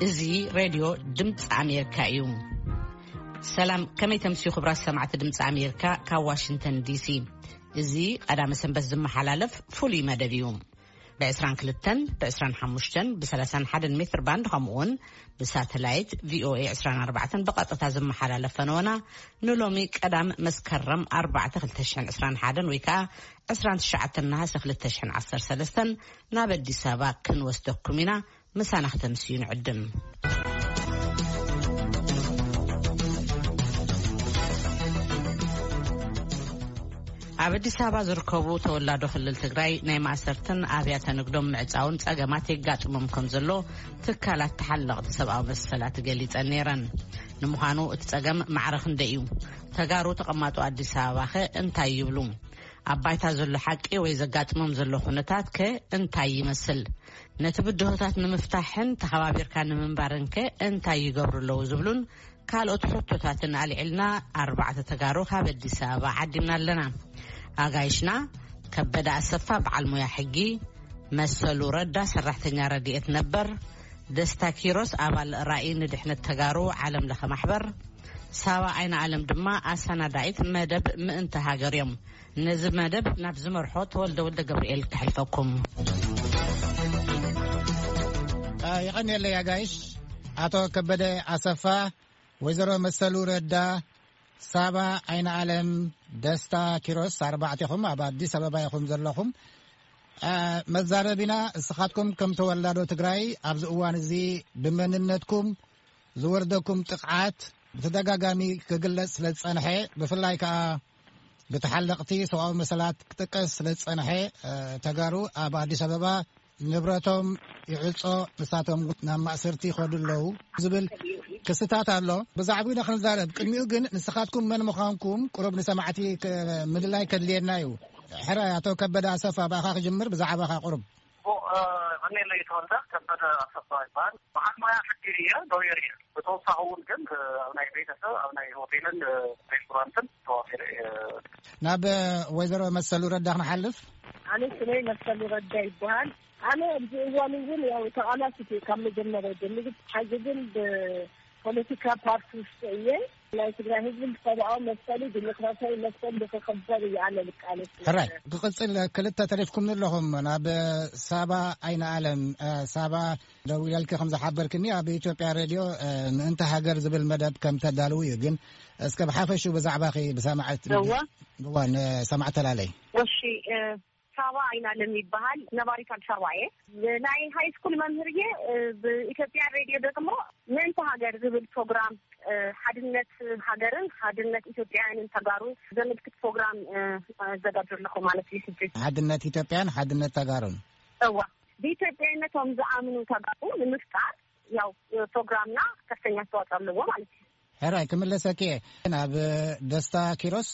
እዚ ሬድዮ ድምፂ ኣሜሪካ እዩ። ሰላም፣ ከመይ ተምስዩ ክቡራት ሰማዕቲ ድምፂ ኣሜሪካ ካብ ዋሽንግተን ዲሲ። እዚ ቀዳመ ሰንበት ዝመሓላለፍ ፍሉይ መደብ እዩ። ብ22፣ ብ25፣ ብ31 ሜትር ባንድ፣ ከምኡውን ብሳተላይት ቪኦኤ 24 ብቐጥታ ዝመሓላለፍ ፈነወና ንሎሚ ቀዳም መስከረም 4 2021 ወይ ከዓ 29 ነሃሰ 2013 ናብ ኣዲስ ኣበባ ክንወስደኩም ኢና። ምሳና ከተምስዩ ንዕድም። ኣብ ኣዲስ ኣበባ ዝርከቡ ተወላዶ ክልል ትግራይ ናይ ማእሰርትን ኣብያተ ንግዶም ምዕጻውን ጸገማት የጋጥሞም ከም ዘሎ ትካላት ተሓለቕቲ ሰብኣዊ መሰላት ገሊጸን ነይረን። ንምዃኑ እቲ ጸገም ማዕረ ክንደይ እዩ? ተጋሩ ተቐማጦ ኣዲስ ኣበባ ኸ እንታይ ይብሉ? ኣብ ባይታ ዘሎ ሓቂ ወይ ዘጋጥሞም ዘሎ ኩነታት ከ እንታይ ይመስል? ነቲ ብድሆታት ንምፍታሕን ተኸባቢርካ ንምንባርን ከ እንታይ ይገብሩ ኣለዉ ዝብሉን ካልኦት ሕቶታትን ኣልዒልና ኣርባዕተ ተጋሩ ካብ ኣዲስ ኣበባ ዓዲምና ኣለና። ኣጋይሽና ከበደ ኣሰፋ በዓል ሞያ ሕጊ፣ መሰሉ ረዳ ሰራሕተኛ ረድኤት ነበር፣ ደስታ ኪሮስ ኣባል ራእይ ንድሕነት ተጋሩ ዓለም ለኸ ማሕበር፣ ሳባ ኣይነ ኣለም ድማ ኣሰናዳኢት መደብ ምእንቲ ሃገር እዮም። ነዚ መደብ ናብ ዝመርሖ ተወልደ ወልደ ገብርኤል ከሕልፈኩም። አ፣ የቐንየለይ ኣጋይሽ። ኣቶ ከበደ ኣሰፋ፣ ወይዘሮ መሰሉ ረዳ፣ ሳባ ኣይነ ኣለም፣ ደስታ ኪሮስ፣ ኣርባዕቴኹም ኣብ ኣዲስ ኣበባ ኢኹም ዘለኹም። አ፣ መዛረቢና፣ እስኻትኩም ከም ተወላዶ ትግራይ ኣብዚ እዋን እዚ ብመንነትኩም ዝወርደኩም ጥቕዓት ብተደጋጋሚ ክግለጽ ስለ ዝጸንሐ፣ ብፍላይ ከኣ ብተሓለቕቲ ሰብኣዊ መሰላት ክጥቀስ ስለ ዝጸንሐ፣ እ፣ ተጋሩ ኣብ ኣዲስ ኣበባ ንብረቶም ይዕጾ፣ ንሳቶም ናብ ማእሰርቲ ይኸዱ ኣለዉ ዝብል ክስታት ኣሎ። ብዛዕባኡ ኢና ክንዛረብ። ቅድሚኡ ግን ንስኻትኩም መን ምዃንኩም ቁሩብ ንሰማዕቲ ክ-፣ ምልላይ ከድልየና እዩ። ሕራይ፣ ኣቶ ከበደ ኣሰፋ፣ ብኣኻ ክጅምር፣ ብዛዕባኻ ቁሩብ። ኦ፣ እ፣ ቀኔለይ ተወልደ ከበደ ኣሰፋ ይበሃል። በዓል ሞያ ሕጊ እየ፣ ሎየር እየ። ብተወሳኺ እውን ግን፣ እ፣ ኣብ ናይ ቤተሰብ፣ ኣብ ናይ ሆቴልን፣ እ፣ ሬስቶራንትን ተዋፊረ እየ። ናብ፣ እ፣ ወይዘሮ መሰሉ ረዳ ክንሓልፍ። ኣነ ስመይ መሰሉ ረዳ ይበሃል። ኣነ ኣብዚ እዋን እውን ያው ተቓላሲት እየ ካብ መጀመርያ ጀሚሩ። ሕዚ ግን ብፖለቲካ ፓርቲ ውስጥ እየ። ናይ ትግራይ ህዝቢ ሰብኣዊ መሰሉ ዲሞክራሲያዊ መሰሉ ንክኽበር እዩ ኣነ ልቃለስ። ሕራይ፣ ክቕጽል ክልተ ተሪፍኩም ኣለኹም። ናብ ሳባ ኣይነ ኣለም፣ እ፣ ሳባ ደዊለልኪ ከም ዝሓበርክኒ ኣብ ኢትዮጵያ ሬድዮ፣ እ፣ ምእንቲ ሃገር ዝብል መደብ ከም ተዳልው እዩ። ግን እስከ ብሓፈሹ ብዛዕባኺ ብሰማዕት እዋ። እዋ፣ ንሰማዕት ተላለይ። እሺ፣ እ፣ ሳባ ኣይናለም ይበሃል። ነባሪት ኣዲስ ኣበባ እየ። ናይ ሃይ ስኩል መምህር እየ። እ፣ ብኢትዮጵያ ሬድዮ ደግሞ ምእንቲ ሃገር ዝብል ፕሮግራም፣ እ፣ ሓድነት ሃገርን ሓድነት ኢትዮጵያውያንን ተጋሩ ዘመልክት ፕሮግራም፣ እ፣ ኣዘጋጆ ኣለኹ ማለት እዩ። ሕጂ ሓድነት ኢትዮጵያን ሓድነት ተጋሩን። እዋ፣ ብኢትዮጵያዊነቶም ዝኣምኑ ተጋሩ ንምፍጣር ያው፣ እ፣ ፕሮግራምና ከፍተኛ ኣስተዋፅኦ ኣለዎ ማለት እዩ። ሕራይ፣ ክምለሰኪ እየ። ናብ ደስታ ኪሮስ።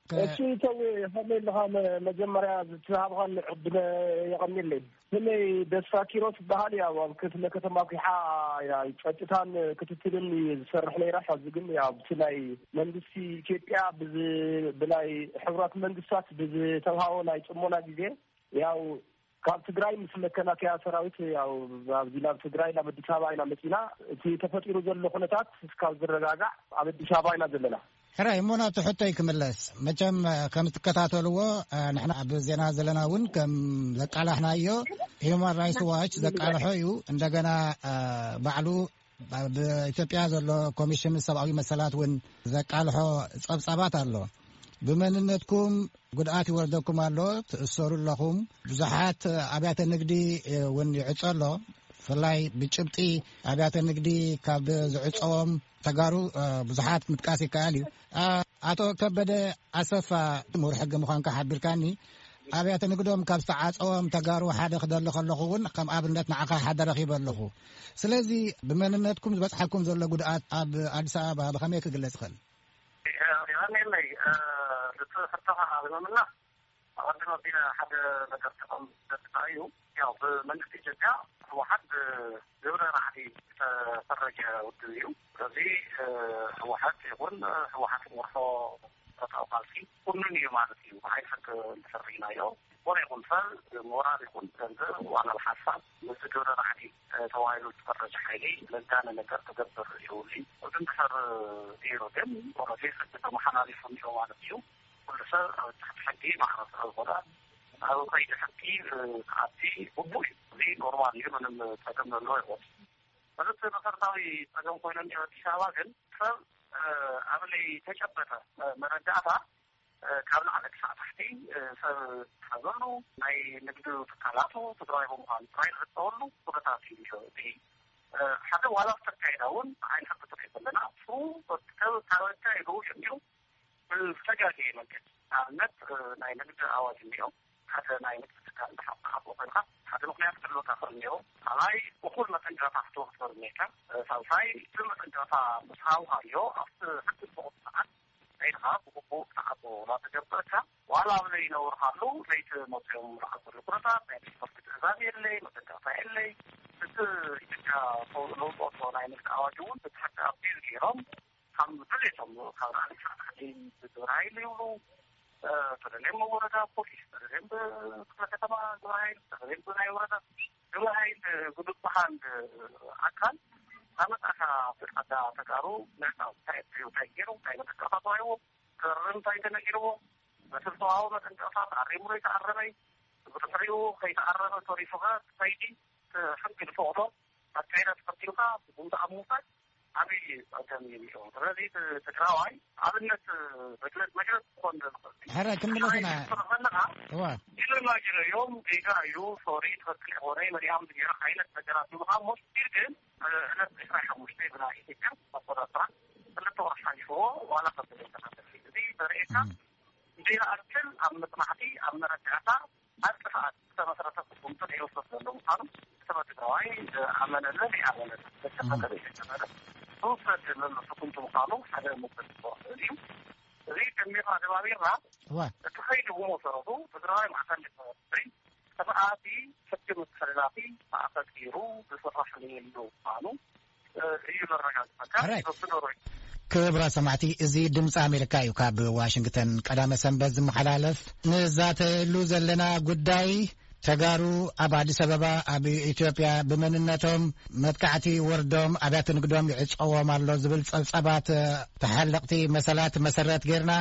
ከ- እሺ፣ ተው፣ ከመይ ኣለኻ? መ-፣ መጀመርያ ዝተሃብኻኒ ዕድል የቐንየለይ። ስመይ ደስታ ኪሮስ ይበሃል። ያው ኣብ ክፍለ ከተማ ኲሓ ያው ጸጥታን ክትትልን ዝሰርሕ ነይረ። ሕዚ ግን ያው ብቲ ናይ መንግስቲ ኢትዮጵያ ብዝ-፣ ብናይ ሕቡራት መንግስታት ብዝተውሃቦ ናይ ጽሞና ግዜ ያው ካብ ትግራይ ምስ መከላከያ ሰራዊት ያው ኣብዚ ናብ ትግራይ ናብ ኣዲስ ኣበባ ኢና መፂና። እቲ ተፈጢሩ ዘሎ ኩነታት እስካብ ዝረጋጋዕ ኣብ ኣዲስ ኣበባ ኢና ዘለና። ሕራይ፣ እሞ ናብቲ ሕቶይ ክምለስ። መቸም፣ እ፣ ከም ትከታተልዎ፣ እ፣ ንሕና ኣብ ዜና ዘለና እውን ከም ዘቃላሕናዮ፣ ሂውማን ራይትስ ዋች ዘቃልሖ እዩ። እንደገና፣ እ፣ ባዕሉ ኣብ ኢትዮጵያ ዘሎ ኮሚሽን ሰብኣዊ መሰላት እውን ዘቃልሖ ጸብጻባት ኣሎ። ብመንነትኩም ጉድኣት ይወርደኩም ኣሎ፣ ትእሰሩ ኣለኹም። ብዙሓት ኣብያተ ንግዲ እውን ይዕጾ ኣሎ። ብፍላይ ብጭብጢ ኣብያተ ንግዲ ካብ ዝዕጸዎም ተጋሩ፣ እ፣ ብዙሓት ምጥቃስ ይከኣል እዩ። እ፣ ኣቶ ከበደ ኣሰፋ፣ ምሁር ሕጊ ምዃንካ ሓቢርካኒ። ኣብያተ ንግዶም ካብ ዝተዓጸዎም ተጋሩ ሓደ ክደሊ ከለኹ እውን ከም ኣብነት ንዓኻ ሓደ ረኺበ ኣለኹ። ስለዚ ብመንነትኩም ዝበጽሓኩም ዘሎ ጉድኣት ኣብ ኣዲስ ኣበባ ብኸመይ ክግለጽ ይኽእል? የቐንየለይ፣ እ፣ እቲ ሕቶኻ ኣብ ምምላስ ኣቐድም ኣቢለ ሓደ ነገር ክጠቕም ዘድልዮ እዩ። ያው ብመንግስቲ ኢትዮጵያ ህወሓት ብግብረ ራዕዲ ዝተፈረጀ ውድብ እዩ። ስለዚ፣ እ፣ ህወሓት ይኹን ህወሓት ዝመርሖ ብረታዊ ቃልሲ ኩኑን እዩ ማለት እዩ። ብሓይሊ ሕጊ እንተፈሪናዮ ኮነ ይኹን ሰብ ሞራል ይኹን ገንዘብ ዋላ ብሓሳብ ምስቲ ግብረ ራዕዲ ተባሂሉ ዝፈረጀ ሓይሊ ለጋነ ነገር ክገብር የብሉን። እዚ እንድሕር ገይሩ ግን ኦረዲ ሕጊ ተመሓላሊፉ እኒኦ ማለት እዩ። ኩሉ ሰብ ኣብ ትሕቲ ሕጊ ማዕረ ስለ ዝኾነ ኣብ ከይዲ ሕጊ ክኣቲ ግቡእ እዩ። እዚ ኖርማል እዩ። ምንም ጸገም ዘለዎ ይኾን። ሰለስተ መሰረታዊ ጸገም ኮይኖም ኣብ ኣዲስ ኣበባ ግን ሰብ ኣብ ለይተጨበጠ መረዳእታ ካብ ላዕሊ ክሳዕ ታሕቲ ሰብ ዝሓዘሉ ናይ ንግዲ ትካላቱ ትግራይ ብምዃኑ ጥራይ ዝሕተወሉ ኩነታት እዩ ዘሎ። እቲ ሓደ ዋላ ዝተካየዳ እውን ብዓይኒ ሕጊ ጥራይ ዘለና እሱ ካብ ኣካየድኡ ጀሚሩ ብዝተጋገየ መንገዲ ንኣብነት ናይ ንግዲ ኣዋጅ እኒኦ ሓደ ናይ ንግዲ ትካል እንተሓቆ ኮይንካ ሓደ ምክንያት ክህልወካ ክእል እኒኦ ካልኣይ እኹል መጠንቀቕታ ክትወስዶ እኒካ ሳልሳይ እቲ መጠንቀቕታ ምስ ሃብካዮ ኣብቲ ሕጊ ዝፈቕዶ ሰዓት ከይድካ ብግቡእ ክትዓጾ እናተገብረካ ዋላ ኣብ ዘይነውርካሉ ለይቲ መፅኦም ዝዓፅሉ ኩነታት ናይ ቤት ፍርዲ ትእዛዝ የለይ መጠንቀቕታ የለይ እቲ ኢትዮጵያ ለውጦ ናይ ንግዲ ኣዋጅ እውን ብትሕቲ ኣቢል ገይሮም ካብ ድሌቶም ካብ ላዕሊ ክሳዕ ታሕቲ ብግብረ ሓይሊ ይብሉ ተደልዮም ወረዳ ፖሊስ ተደልዮም ብክፍለ ከተማ ግብረ ሓይል ተደልዮም ብናይ ወረዳ ግብረ ሓይል ብዝበሃል ኣካል ኣመጣካ ፍቃዳ ተጋሩ ምዕጣው እንታይ እንታይ እንታይ ገይሩ እንታይ መጠቀፋ ተዋይዎ ክርም እንታይ ተነጊርዎ በስልተዋዊ መጠንቀፋ ተኣሪሙ ዘይተኣረመይ ብድሕሪኡ ከይተኣረመ ተሪፉካ ትኸይዲ ሕጊ ዝፈቕዶ ኣካይዳ ተኸቲልካ ብጉምታ ኣብ ምውሳድ ዓብዪ ጸገም እዩ እኒኦ። ስለዚ ትግራዋይ ኣብነት መግለጽ መግለጽ ክኾን ዝኽእል ሕረ ክምለስ ኢና። ትስርሕ ዘለኻ እዋ ኢሉ ናጅረ እዮም ጌጋ እዩ ሶሪ ትኽክል ይኾነ መሪሃም ዝገይረ ዓይነት ነገራት ምዃን ሞስጢር ግን ዕለት ዕስራ ሓሙሽተ ብና ኢትዮጵያ ኣቆጣጥራ ክልተ ወርሒ ሓሊፍዎ ዋላ ከብል ተናገር እዚ ዘርእየካ ዘይኣክል ኣብ መጽናዕቲ ኣብ መረዳእታ ኣብ ጥፍኣት ዝተመስረተ ስጉምቲ ዘይወስድ ዘሎ ምዃኑ እቲ በትግራዋይ ዝኣመነለ ዘይኣመነለ ዘተፈቀደ ዝተፈቀደ ዝወሰድ ዘሎ ስጉምቲ ምዃኑ ሓደ ምልክት ክኸውን ይኽእል እዩ። እዚ ደሚርና ደማሚርና እዋ እቲ ኸይዲ ብመሰረቱ ትግራዋይ ማእኸል ዲሞክራሲ ስርዓቲ ሕጊ ምትሕልላፊ ማእኸል ገይሩ ዝስራሕ ዘይብሉ ምዃኑ እዩ ዘረጋግጸካ። ሕራይ። በብደረጃ ክብራ ሰማዕቲ፣ እዚ ድምፂ ኣሜሪካ እዩ። ካብ ዋሽንግተን ቀዳመ ሰንበት ዝመሓላለፍ። ንዛተየሉ ዘለና ጉዳይ፣ ተጋሩ ኣብ ኣዲስ ኣበባ ኣብ ኢትዮጵያ ብመንነቶም መጥቃዕቲ ወርዶም ኣብያተ ንግዶም ይዕጸዎም ኣሎ ዝብል ጸብጸባት፣ ተሓለቕቲ መሰላት መሰረት ጌርና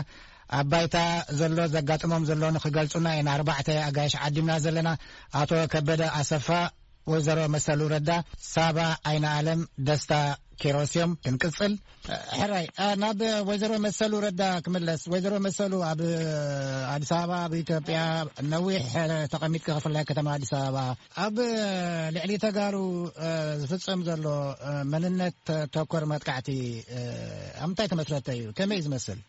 ኣብ ባይታ ዘሎ ዘጋጥሞም ዘሎ ንኽገልጹና ኢና ኣርባዕተ ኣጋይሽ ዓዲምና ዘለና። ኣቶ ከበደ ኣሰፋ፣ ወይዘሮ መሰሉ ረዳ፣ ሳባ ኣይነ ኣለም፣ ደስታ ኪሮስ እዮም። ክንቅጽል። ሕራይ፣ ኣ፣ ናብ ወይዘሮ መሰሉ ረዳ ክምለስ። ወይዘሮ መሰሉ ኣብ ኣዲስ ኣበባ፣ ኣብ ኢትዮጵያ ነዊሕ ተቐሚጥኪ፣ ክፍላይ ከተማ ኣዲስ ኣበባ፣ ኣብ ልዕሊ ተጋሩ፣ እ፣ ዝፍጸም ዘሎ፣ እ፣ መንነት ተኮር መጥቃዕቲ፣ እ፣ ኣብ ምንታይ ተመስረተ እዩ? ከመይ እዩ ዝመስል?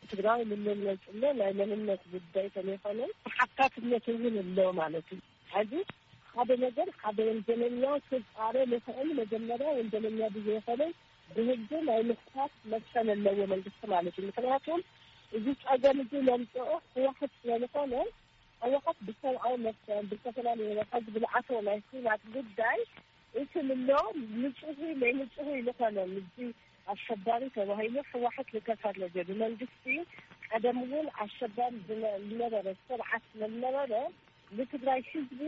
ትግራይ ንምነጽሎ ናይ መንነት ጉዳይ ተለይኮነ ተሓታትነት እውን ኣሎ ማለት እዩ። ሕዚ ሓደ ነገር ሓደ ወንጀለኛ ክፃረ ልኽእል መጀመርያ ወንጀለኛ ብዘይኮነ ብህጊ ናይ ምኽታት መሰል ኣለዎ መንግስቲ ማለት እዩ። ምክንያቱም እዚ ፀገም እዚ ለምፅኦ ህወሓት ስለዝኾነ ህወሓት ብሰብኣዊ መሰል ብዝተፈላለዩ ህዝቢ ዝዓተወ ናይ ኩናት ጉዳይ እቲ ምሎ ንፁሂ ናይ ንፁሂ ዝኾነ ምዚ ኣሸባሪ ተባሂሉ ህወሓት ልተፈረጀ ብመንግስቲ ቀደም እውን ኣሸባሪ ዝነ- ዝነበረ ስርዓት ስለዝነበረ ንትግራይ ህዝቢ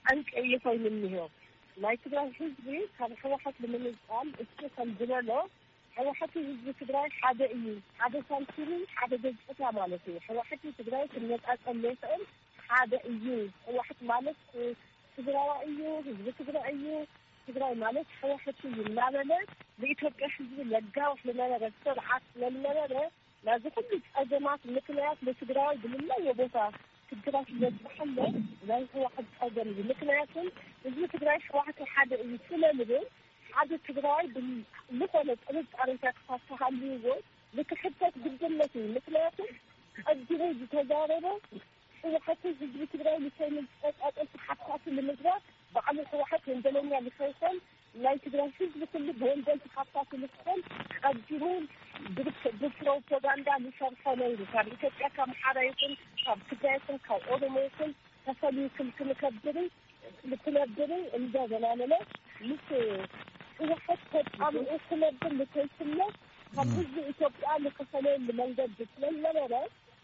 ጠንቂ እዩ ኮይኑ እኒሆ። ናይ ትግራይ ህዝቢ ካብ ህወሓት ንምንፃል እሱ ከም ዝበሎ ሕወሓቲ ህዝቢ ትግራይ ሓደ እዩ። ሓደ ሳንቲም ሓደ ገፅታ ማለት እዩ። ሕወሓቲ ትግራይ ክነፃፀል ዘይኽእል ሓደ እዩ። ሕወሓት ማለት ትግራዋ እዩ፣ ህዝቢ ትግራይ እዩ። ትግራይ ማለት ሕወሓቲ እዩ እናበለ ንኢትዮጵያ ህዝቢ ለጋውሕ ዝነበረ ስርዓት ስለዝነበረ ናዚ ኩሉ ፀገማት ምክንያት ንትግራዋይ ብልለየ ቦታ ትግራይ ዝበፅሓለ ናይ ህወሓት ፀገም እዩ። ምክንያቱም ህዝቢ ትግራይ ሕወሓቲ ሓደ እዩ ስለንብል ሓደ ትግራዋይ ዝኾነ ጥርጣሬታት ካብ ተሃልይዎ ንክሕተት ግድነት እዩ። ምክንያቱም ቀዲሙ ዝተዛረበ ሕወሓትን ህዝቢ ትግራይ ንሰይምን ዝቀጻጸል ተሓታቲ ንምግባር ባዕሉ ሕወሓት ወንጀለኛ ንኸይኮን ናይ ትግራይ ህዝቢ ኩሉ ብወንጀል ተሓታቲ ንክኾን ቀዲሙ ብፕሮፓጋንዳ ዝሰርሖ ነይሩ። ካብ ኢትዮጵያ ካብ ኣምሓራ ይኹን ካብ ትግራይ ይኹን ካብ ኦሮሞ ይኹን ተፈልዩ ክል- ክንከብርን ክነብርን እንደገና ንለ ምስ ህወሓት ተጣምኡ ክነብር ንከይስለ ካብ ህዝቢ ኢትዮጵያ ንክፈለየሉ መንገዲ ስለዝነበረ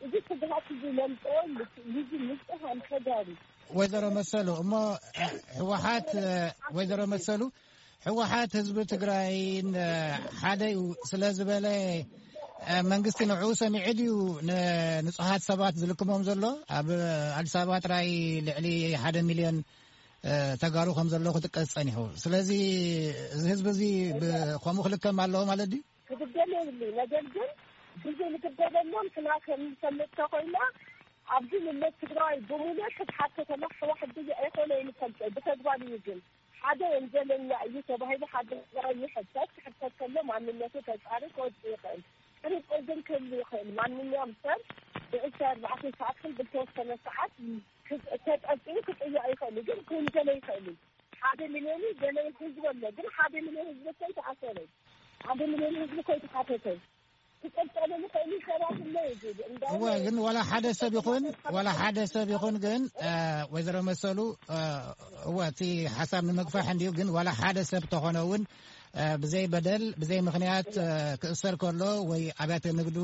እዚ ስግሃት እዚ ለምፅኦ ልጅ ንፁሃን ተጋሩ ወይዘሮ መሰሉ እሞ፣ ህወሓት፣ ወይዘሮ መሰሉ፣ ህወሓት ህዝቢ ትግራይን ሓደ እዩ ስለ ዝበለ፣ መንግስቲ ንዕኡ ሰሚዑ ድዩ ንንፁሃት ሰባት ዝልክሞም ዘሎ? ኣብ ኣዲስ ኣበባ ጥራይ ልዕሊ ሓደ ሚልዮን ተጋሩ ከም ዘሎ ክጥቀስ ጸኒሑ። ስለዚ እዚ ህዝቢ እዚ ከምኡ ክልከም ኣለዎ ማለት ድዩ? ክግደል የብሉ። ነገር ግን ግዜ ንክደለሎም ክና ከምሰምት ተኮይና ኣብዚ ምለት ትግራይ ብምሉእ ክትሓተተላ ሕዋ ሕድዩ ኣይኮነ ይንፈልጠ ብተግባር እዩ። ግን ሓደ ወንጀለኛ እዩ ተባሂሉ ሓደ ትግራይ ይሕተት። ክሕተት ከሎ ማንነቱ ተጻሪ ክወጽእ ይኽእል። ጥርጥር ግን ክህሉ ይኽእል። ማንኛውም ሰብ ብዕስራ ኣርባዕተ ሰዓት ክል ብልተወሰነ ሰዓት ተጠርጢሩ ክጥያቕ ይኽእል እዩ። ግን ክውንጀለ ይኽእል እዩ። ሓደ ሚልዮን ገለ ህዝቢ ኣሎ። ግን ሓደ ሚልዮን ህዝቢ እኮ ኣይተኣሰረን። ሓደ ሚልዮን ህዝቢ እኮ ኣይተሓተተን። ክቀጸሉ ንኽእል ሰባት እለ እዩ። እወ፣ ግን ዋላ ሓደ ሰብ ይኹን ዋላ ሓደ ሰብ ይኹን ግን ወይዘሮ መሰሉ፣ እወ፣ እቲ ሓሳብ ንምግፋሕ እንዲዩ። ግን ዋላ ሓደ ሰብ ተኾነ እውን ብዘይ በደል ብዘይ ምኽንያት ክእሰር ከሎ ወይ ኣብያተ ንግዱ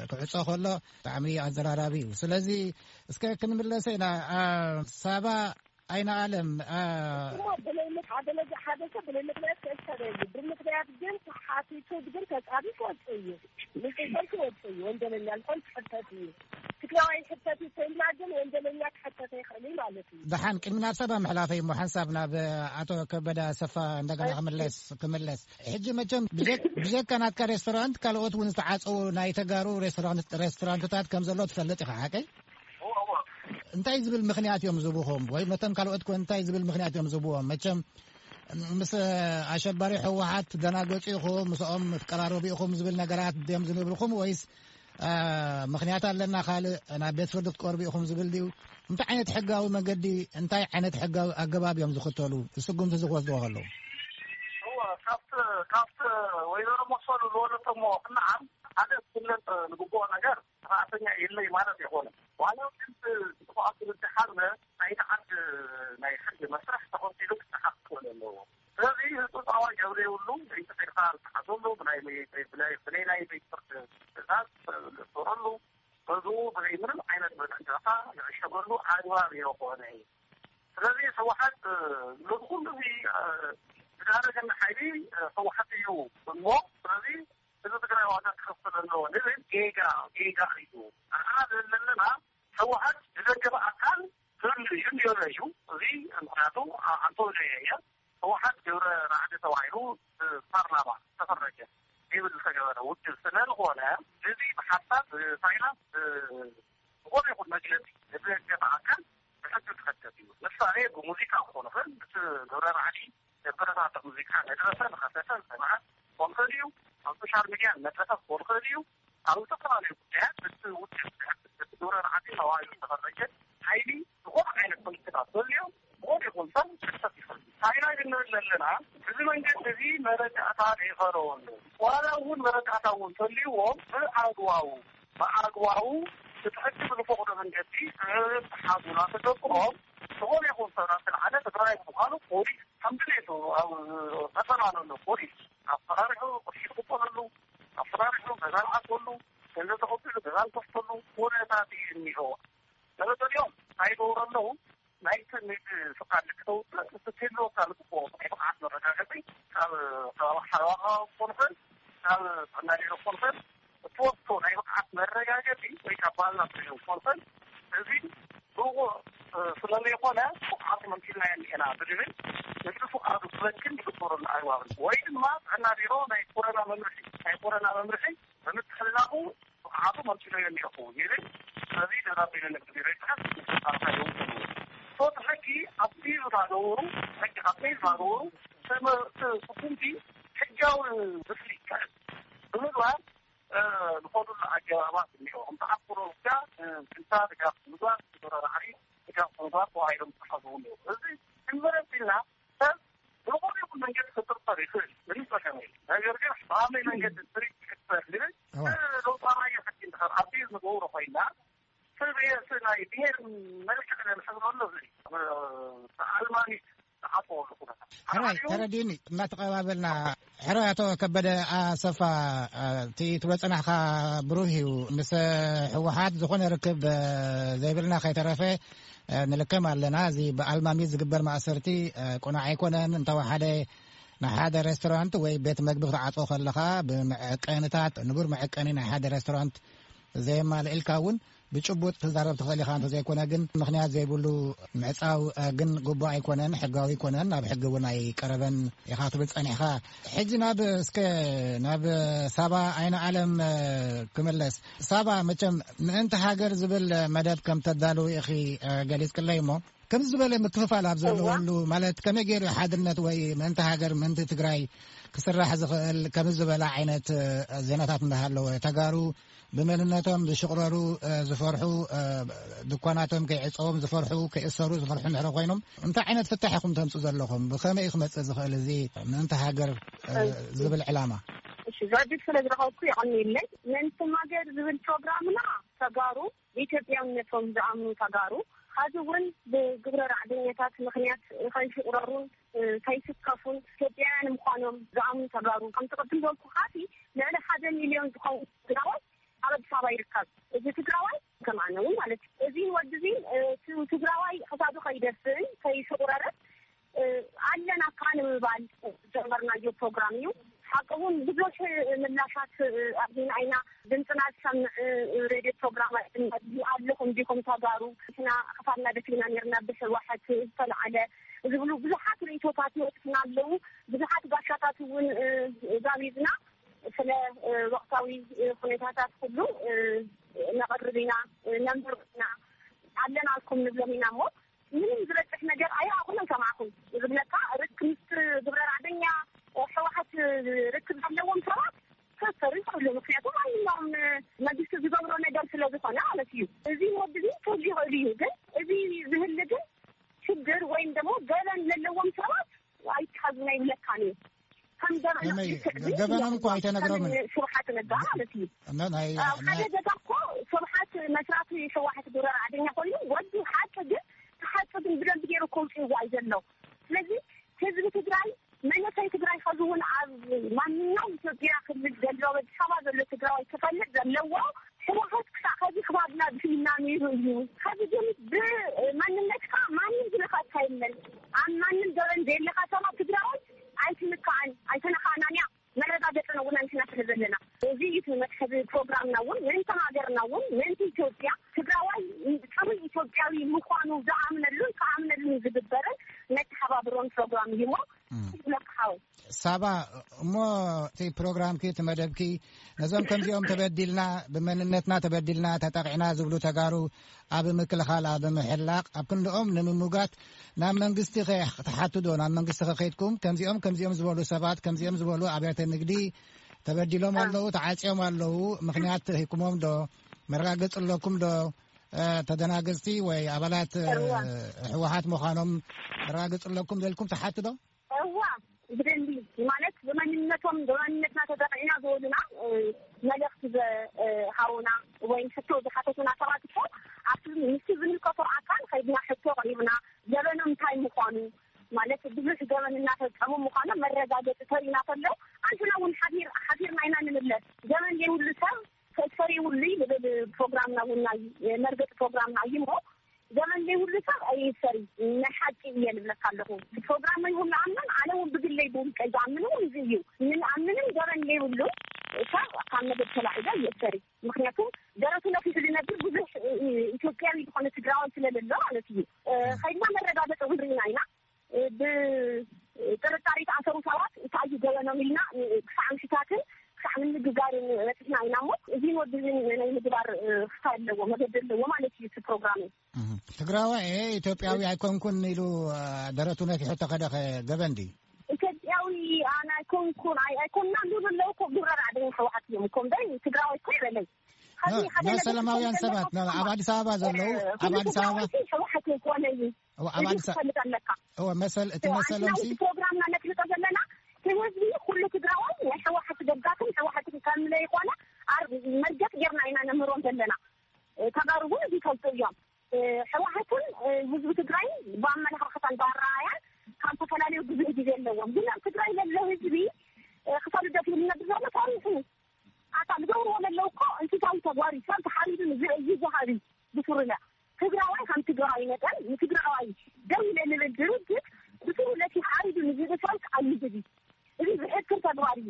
ክዕጾ ከሎ ብጣዕሚ ኣዘራራቢ እዩ። ስለዚ እስከ ክንምለሰ ኢና። ሳባ ኣይነ ኣለም። እሞ ብለይ ምክ- ሓደ ለዚ ሓደ ሰብ ብለይ ምክንያት ክእሰር የሉ። ብምክንያት ግን ተሓቲቱ ግን ተጻቢ ክወጽእ እዩ። ንጽሰል ክወጽእ እዩ። ወንጀለኛ ልኾን ክሕተት እዩ። ትግራዋይ ሕተት እዩ ተይልና ግን ወንጀለኛ ክሕተት ይኽእል እዩ ማለት እዩ። ደሓን ቅድሚ ናብ ሰባ ምሕላፈይ እሞ ሓንሳብ ናብ ኣቶ ከበደ ኣሰፋ እንደገና ክምለስ ክምለስ። ሕጂ መቸም ብጀክ- ብጀካ ናትካ ሬስቶራንት ካልኦት እውን ዝተዓጸዉ ናይ ተጋሩ ሬስቶራንት ሬስቶራንትታት ከም ዘሎ ትፈልጥ ኢኻ ሓቀይ? እንታይ ዝብል ምኽንያት እዮም ዝብኹም ወይ ነቶም ካልኦት ኮ እንታይ ዝብል ምኽንያት እዮም ዝብዎም? መቸም ምስ ኣሸባሪ ህወሓት ትደናገጹ ኢኹም ምስኦም ትቀራረቡ ኢኹም ዝብል ነገራት ድዮም ዝነብርኹም ወይስ ምኽንያት ኣለና ካልእ ናብ ቤት ፍርዲ ክትቀርቡ ኢኹም ዝብል ድዩ? እንታይ ዓይነት ሕጋዊ መንገዲ እንታይ ዓይነት ሕጋዊ ኣገባብ እዮም ዝኽተሉ? ስጉምቲ ዝወስድዎ ከለዉ? ካብቲ ወይዘሮ መሰሉ ዝበለቶሞ ክነዓም ሓደ ክፍለጥ ዝግብኦ ነገር ሰራሕተኛ የለይ ማለት ኣይኮነን። ዋላ ግን ስርዓት ዝብድሓልና ናይቲ ዓዲ ናይ ሕጊ መስርሕ ተኸቲሉ ክሰሓብ ክኽእል ኣለዎ። ስለዚ ህፁፃዋ ገብረ የብሉ። ለይቲ ፌዴራል ተሓዘሉ ብናይ ብናይ ናይ ቤት ፍርድ ትእዛዝ ተረሉ በዝኡ ብዘይ ምንም ዓይነት መጠንቀቕታ ዝዕሸገሉ ኣግባብ የኾነ እዩ። ስለዚ ህወሓት ነዚ ኩሉ እዚ ዝዳረገኒ ሓይሊ ህወሓት እዩ እሞ ስለዚ ህዝቢ ትግራይ ዋጋ ክኸፍል ኣለዎ ንብል ጌጋ ጌጋ እዩ። ኣና ዘለና ህወሓት ዝደገፈ ኣካል ክህሉ እዩ እንዲሆነ እዩ። እዚ ምክንያቱ ኣንቶኒ እየ ህወሓት ግብረ ራዕዲ ተባሂሉ ብፓርላማ ዝተፈረጀ ይብል ዝተገበረ ውድብ ስለ ዝኾነ እዚ ብሓሳብ ብፋይናንስ ዝኾነ ይኹን መግለፂ ንዘገበ ኣካል ብሕጊ ክኸተት እዩ። ምሳሌ ብሙዚቃ ክኾን ይኽእል፣ እቲ ግብረ ራዕዲ ዘበረታትዕ ሙዚቃ ነድረሰ፣ ንኸሰሰ፣ ዝሰምዐ ክኾን ይኽእል እዩ። ኣብ ሶሻል ሚድያ መድረኸ ክኾን ይኽእል እዩ። ኣብ ዝተፈላለዩ ጉዳያት እቲ ውድብ እቲ ግብረ ራዕዲ ተባሂሉ ዝተፈረጀ ሓይሊ ዝኾነ ዓይነት ፖለቲካ ተልዮ ዝኾነ ይኹን ሰብ ክሕተት ይኽእል እዩ። ቻይና ግን ንብል ዘለና እዚ መንገዲ እዚ መረዳእታ ዘይኸረወሉ ዋላ እውን መረዳእታ እውን ተልይዎም ብኣግባቡ ብኣግባቡ እቲ ሕጊ ብዝፈቕዶ መንገዲ ክሓዙ እናተገብኦም ዝኾነ ይኹን ሰብ ናብ ዝለዓለ ትግራይ ብምዃኑ ፖሊስ ከም ድሌቱ ኣብ ከተማ ዘሎ ፖሊስ ኣፈራሪሑ ቅርሺ ዝቕበለሉ ኣፈራሪሑ ገዛ ዝዓፅወሉ ገንዘብ ተቐቢሉ ገዛ ዝከፍተሉ ኩነታት እዩ እኒሆ። መበገሊኦም እንታይ ይገብሩ ኣለዉ? ናይቲ ንግዲ ፍቓድ ክተውፅእ እቲ ክህልወካ ዝግብኦ ናይ ብቕዓት መረጋገፂ ካብ ከባቢ ሓለዋ ከባቢ ክኾን ይኽእል ካብ ጥዕና ቢሮ ክኾን ይኽእል እትወስዶ ናይ ብቕዓት መረጋገፂ ወይ ካብ ባልና ትሪኦ ክኾን ይኽእል እዚ ብቑዕ ስለዘይኮነ ብቕዓቱ መምሲልናዮ እኒኤና ብዝብል ንግዲ ፍቓዱ ክበክን ዝግበረሉ ኣግባብ ወይ ድማ ጥዕና ቢሮ ናይ ኮረና መምርሒ ናይ ኮረና መምርሒ ብምትሕልላፉ ብቕዓቱ መምሲለዮ እኒአኹ ይብል። ስለዚ ደብዳቤ ንንግዲ ቢሮ ይፅሕፍ። ኣርካ ይውስኑ። ሶት ሕጊ ኣብቲ ዝናገበሩ ሕጊ ኣብቲ ዝናገበሩ ስጉምቲ ሕጋዊ ምስሊ ይካየድ ብምግባር ዝኸዱሉ ኣገባባት እኒኦ። ከምቲ ኣብ ፖለቲካ ስልሳ ድጋፍ ምግባር፣ ተወዳዳሪ ድጋፍ ምግባር ተባሂሎም ዝተሓዝቡ እኒኦ። እዚ ክንመለስ ኢልና ሰብ ብዝኾነ ይኹን መንገዲ ክጥርጠር ይኽእል፣ ምንም ጸገም የለን። ነገር ግን ብኣመይ መንገዲ ትሪት ክጥር ዝብል ለውጣዊ ሕጊ እንድሕር ኣብቲ ንገብሮ ኮይና ሰብ ናይ ብሄር መልክዕ ነንሕብረሉ እዚ ኣልማሚት ዝሓጥወሉ ኩነታት ሕራይ ተረዲኒ እናተቐባበልና ሕራይ ኣቶ ከበደ ኣሰፋ፣ እቲ ትብሎ ጸናሕካ ብሩህ እዩ። ምስ ህወሓት ዝኾነ ርክብ ዘይብልና ከይተረፈ ንልከም ኣለና። እዚ ብኣልማሚት ዝግበር ማእሰርቲ ቅኑዕ ኣይኮነን። እንተወሓደ ንሓደ ሬስቶራንት ወይ ቤት መግቢ ክትዓጾ ከለኻ፣ ብመዐቀንታት፣ ንቡር መዐቀኒ ናይ ሓደ ሬስቶራንት ዘየማልእልካ እውን ብጭቡጥ ክትዛረብ ትኽእል ኢኻ። እንተዘይኮነ ግን፣ ምኽንያት ዘይብሉ ምዕጻው ግን ግቡእ ኣይኮነን፣ ሕጋዊ ኣይኮነን፣ ናብ ሕጊ እውን ኣይቀረበን ኢኻ ትብል ጸኒሕካ። ሕጂ ናብ፣ እስከ ናብ ሳባ ኣይነ ኣለም ክምለስ። ሳባ፣ መቸም ምእንቲ ሃገር ዝብል መደብ ከም ተዳልው ኢኺ ገሊጽክለይ እሞ፣ ከምዚ ዝበለ ምክፍፋል ኣብ ዘለወሉ፣ ማለት፣ ከመይ ገይሩ ሓድነት ወይ ምእንቲ ሃገር፣ ምእንቲ ትግራይ ክስራሕ ዝኽእል? ከምዚ ዝበለ ዓይነት ዜናታት እንዳሃለወ፣ ተጋሩ ብመንነቶም ዝሽቕረሩ፣ ዝፈርሑ፣ ድኳናቶም ከይዕጸዎም ዝፈርሑ፣ ከይእሰሩ ዝፈርሑ እንድሕር ኮይኖም፣ እንታይ ዓይነት ፍታሕ ኢኹም ተምጽኡ ዘለኹም? ብኸመይ እዩ ክመጽእ ዝኽእል እዚ ምእንቲ ሃገር ዝብል ዕላማ? እሺ፣ ዝዕድል ስለ ዝረኸብኩ የቐንየለይ። ምእንቲ ሃገር ዝብል ፕሮግራምና፣ ተጋሩ ብኢትዮጵያውነቶም ዝኣምኑ ተጋሩ፣ ሐዚ እውን ብግብረ ራዕደኛታት ምኽንያት ከይሽቑረሩን ከይስከፉን ኢትዮጵያውያን ምዃኖም ዝኣምኑ ተጋሩ፣ ከምቲ ቅድም ዝበልኩኻሲ፣ ልዕሊ ሓደ ሚልዮን ዝኾኑ ትግራዋይ ኣብ ኣዲስ ኣበባ ይርከብ። እዚ ትግራዋይ ከማነ እውን ማለት እዩ። እዚ ወዲ እዚ፣ እ፣ ቲ-፣ ትግራዋይ ክሳዱ ከይደፍእን ከይሽቑረርን፣ እ፣ ኣለና እካ ንምባል ዝጀመርናዮ ፕሮግራም እዩ። ሓቂ እውን ብዙሕ ምላሻት፣ እ፣ ኣግኝና ኢና። ድምፅና ዝሰምዕ፣ እ፣ ሬድዮ ፕሮግራም ኣለኹም ዲኹም ተጋሩ? ንሕና ክሳድና ደፊእና ነርና ብህወሓት ዝተልዓለ ዝብሉ ብዙሓት ርእይቶታት ይወፅና ኣለዉ። ብዙሓት ጋሻታት እውን፣ እ፣ ጋቢዝና ስለ፣ እ፣ ወቕታዊ፣ እ፣ ኩነታታት ኩሉ፣ እ፣ ነቕርብ ኢና፣ እ፣ ነንብር ኢና፣ ኣለናልኩም ንብሎም ኢና እሞ ምንም ዝበፅሕ ነገር ኣይረኣኹን ኣይሰማዕኹን። ዝብለካ ርክ-፣ ምስ ግብረ ራዕደኛ፣ እ፣ ህወሓት ርክብ ዘለዎም ሰባት ክእሰሩ ይኽእሉ። ምክንያቱ ማንኛውም መንግስቲ ዝገብሮ ነገር ስለ ዝኾነ ማለት እዩ። እዚ ወዲ እዚ ክህሉ ይኽእል እዩ፣ ግን እዚ ዝህሊ ግን ሽግር ወይም ደግሞ ገበን ዘለዎም ሰባት ኣይትሓዙና ይብለካን እዩ። ከም ገበን ከመይ? ልክዕ ግን ገበኖም እኮ ኣይተነግሮምን። ከም ስብሓት ነጋ ማለት እዩ። እና ናይ ኣብ ሓደ ናይ ገዛ እኮ ስብሓት መስራቲ ህወሓት ግብረ ራዕደኛ ኮይኑ ወዲ ሓቂ ግን ተሓጽ ግን ብደንብ ገይሩ ከውፅእዎ እዩ ዘሎ። ስለዚ ህዝቢ ትግራይ፣ መንእሰይ ትግራይ፣ ኸዚ እውን ኣብ ማንኛውም ኢትዮጵያ ክልል ዘሎ፣ ኣዲስ ኣበባ ዘሎ ትግራዋይ ክፈልጥ ዘለዎ፣ ህወሓት ክሳዕ ኸዚ ክባብና ብሂልና ነይሩ እዩ። ኸዚ ግን ብመንነትካ ማንም ዝነካእካ የለን። ኣብ ማንም ገበን ዘየለካ ሰባት ትግራዋይ ኣይትንካእን፣ ኣይተነካእናን እያ። መረጋገፂ ነውና ንሕና ስለ ዘለና። እዚ እዩ እቲ መትሓዚ ፕሮግራምና እውን፣ ምእንቲ ሃገርና እውን፣ ምእንቲ ኢትዮጵያ፣ ትግራዋይ ፅሩይ ኢትዮጵያዊ ምዃኑ ዝኣምነሉን ክኣምነሉን ዝግበርን መተሓባብሮን ፕሮግራም እዩ እሞ፣ እም። ይብለካ ሓወይ። ሳባ፣ እሞ እቲ ፕሮግራምኪ፣ እቲ መደብኪ፣ ነዞም ከምዚኦም ተበዲልና፣ ብመንነትና ተበዲልና፣ ተጠቒዕና ዝብሉ ተጋሩ ኣብ ምክልኻል፣ ኣብ ምሕላቕ፣ ኣብ ክንድኦም ንምምጓት ናብ መንግስቲ ከ ትሓቱ ዶ? ናብ መንግስቲ ከ ከይድኩም፣ ከምዚኦም፣ ከምዚኦም ዝበሉ ሰባት፣ ከምዚኦም ዝበሉ ኣብያተ ንግዲ ተበዲሎም አ። ኣለዉ፣ ተዓጽዮም ኣለዉ፣ ምኽንያት ሂኩሞም ዶ? መረጋገጺ ኣለኩም ዶ? እ፣ ተደናገጽቲ ወይ ኣባላት፣ እ፣ እዋ። ህወሓት ምዃኖም መረጋገጺ ኣለኩም ዘልኩም ትሓቱ ዶ? እዋ፣ ብደንቢ፣ ማለት ብመንነቶም፣ ብመንነትና ተጠቂዕና ዝበሉና፣ እ፣ መልእኽቲ ዘ-፣ እ፣ ሃቡና ወይም ሕቶ ዝሓተቱና ሰባት እኮ ኣብቲ ምስቲ ዝምልከቶ ኣካል ከይድና ሕቶ ኣቕሪብና፣ ገበኖም እንታይ ምዃኑ፣ ማለት ብዙሕ ገበን እናፈጸሙ ምዃኖም መረጋገጺ ተሪእና ከሎ፣ ኣንሕና እውን ሓፊር-፣ ሓፊርና ኢና ንምለስ። ገበን ዘይብሉ ሰብ ሰሪውሉ ዝብል ፕሮግራምና እውን ናይ መርገፂ ፕሮግራምና እዩ እሞ፣ ዘመን ዘይብሉ ሰብ ኣይሰሪ። ናይ ሓቂ እየ ንብለካ ኣለኹ። ብፕሮግራመይ እውን ንኣምን፣ ኣነ እውን ብግለይ ብውልቀይ ዝኣምን እውን እዚ እዩ። ንኣምንን ዘመን ዘይብሉ ሰብ ካብ መደብ ተላዒለ ይእሰሪ። ምክንያቱ ደረቱ ነፊሑ ዝነብር ብዙሕ ኢትዮጵያዊ ዝኾነ ትግራዋይ ስለለሎ ማለት እዩ። እ፣ ከይድና መረጋገፂ እውን ርኢና ኢና። ብጥርጣሬ ተኣሰሩ ሰባት እንታይ እዩ ገበኖም ኢልና ክሳዕ ምሽታትን ክሳዕ ምንግጋርን በፂሕና ኢና እሞ፣ እዚ ወዲ እዚ ናይ ምግባር ክፋይ ኣለዎ፣ መገዲ ኣለዎ ማለት እዩ እቲ ፕሮግራም። እህ። ትግራዋይ እየ፣ ኢትዮጵያዊ ኣይኮንኩን ኢሉ፣ አ፣ ደረቱ ነፊሑ ተኸደ ኸ ገበን ድዩ? ኢትዮጵያዊ ኣነ ኣይኮንኩን፣ ኣይ-፣ ኣይኮንና ዝብሉ ኣለዉ እኮ፣ ግብረ ራዕደኛ ህወሓት እዮም እኮ እምበር ትግራዋይ እኮ ይበለይ። ኸዚ ኖ፣ ሓደ ኖ፣ ነገር ሰላማውያን ክኸውን ሰባት፣ ኖ፣ ዘለዎ ኣብ ኣዲስ ኣበባ ዘለዉ፣ እ፣ ኣብ ኣዲስ ኣበባ ትግራዋይ ህወሓት ኣይኮነን እዩ። ኣብ እዚ ኣዲስ ክትፈልጥ ኣለካ። እወ፣ መሰል፣ እቲ መሰሎም ሲ ኣንሕና ፕሮግራምና ነፍልጦ ዘለና፣ እቲ ህዝቢ ኩሉ ትግራዋይ ናይ ህወሓት ደጋፍን ህወሓትን ከም ዘይኮነ ኣር-፣ መርገጥ ጌርና ኢና ነምህሮም ዘለና። እ፣ ተጋሩ እውን እዚ ይፈልጡ እዮም። እ፣ ህወሓትን፣ እ፣ ህዝቢ ትግራይን ብኣመለኻኽታን ብኣረኣያን ካብ ዝተፈላለዩ ብዙሕ ግዜ ኣለዎም። ግን ኣብ ትግራይ ዘሎ ህዝቢ ክሳብ ልደት ዝነብር ዘሎ ታሪኹ ኣታ ዝገብርዎ ዘለዉ እኮ እንስሳዊ ተግባር እዩ። ሰብ ተሓሪዱ ንዝርኢ እዩ ዝሃብ እዩ ብስሩላ። ትግራዋይ ከም ትግራዋይ መጠን ንትግራዋይ ደው ኢለ ንብል ድርጅት ብስሩለቲ ሓሪዱ ንዝርኢ ሰብ ኣይዝብ እዩ። እዚ ዝሕክር ተግባር እዩ።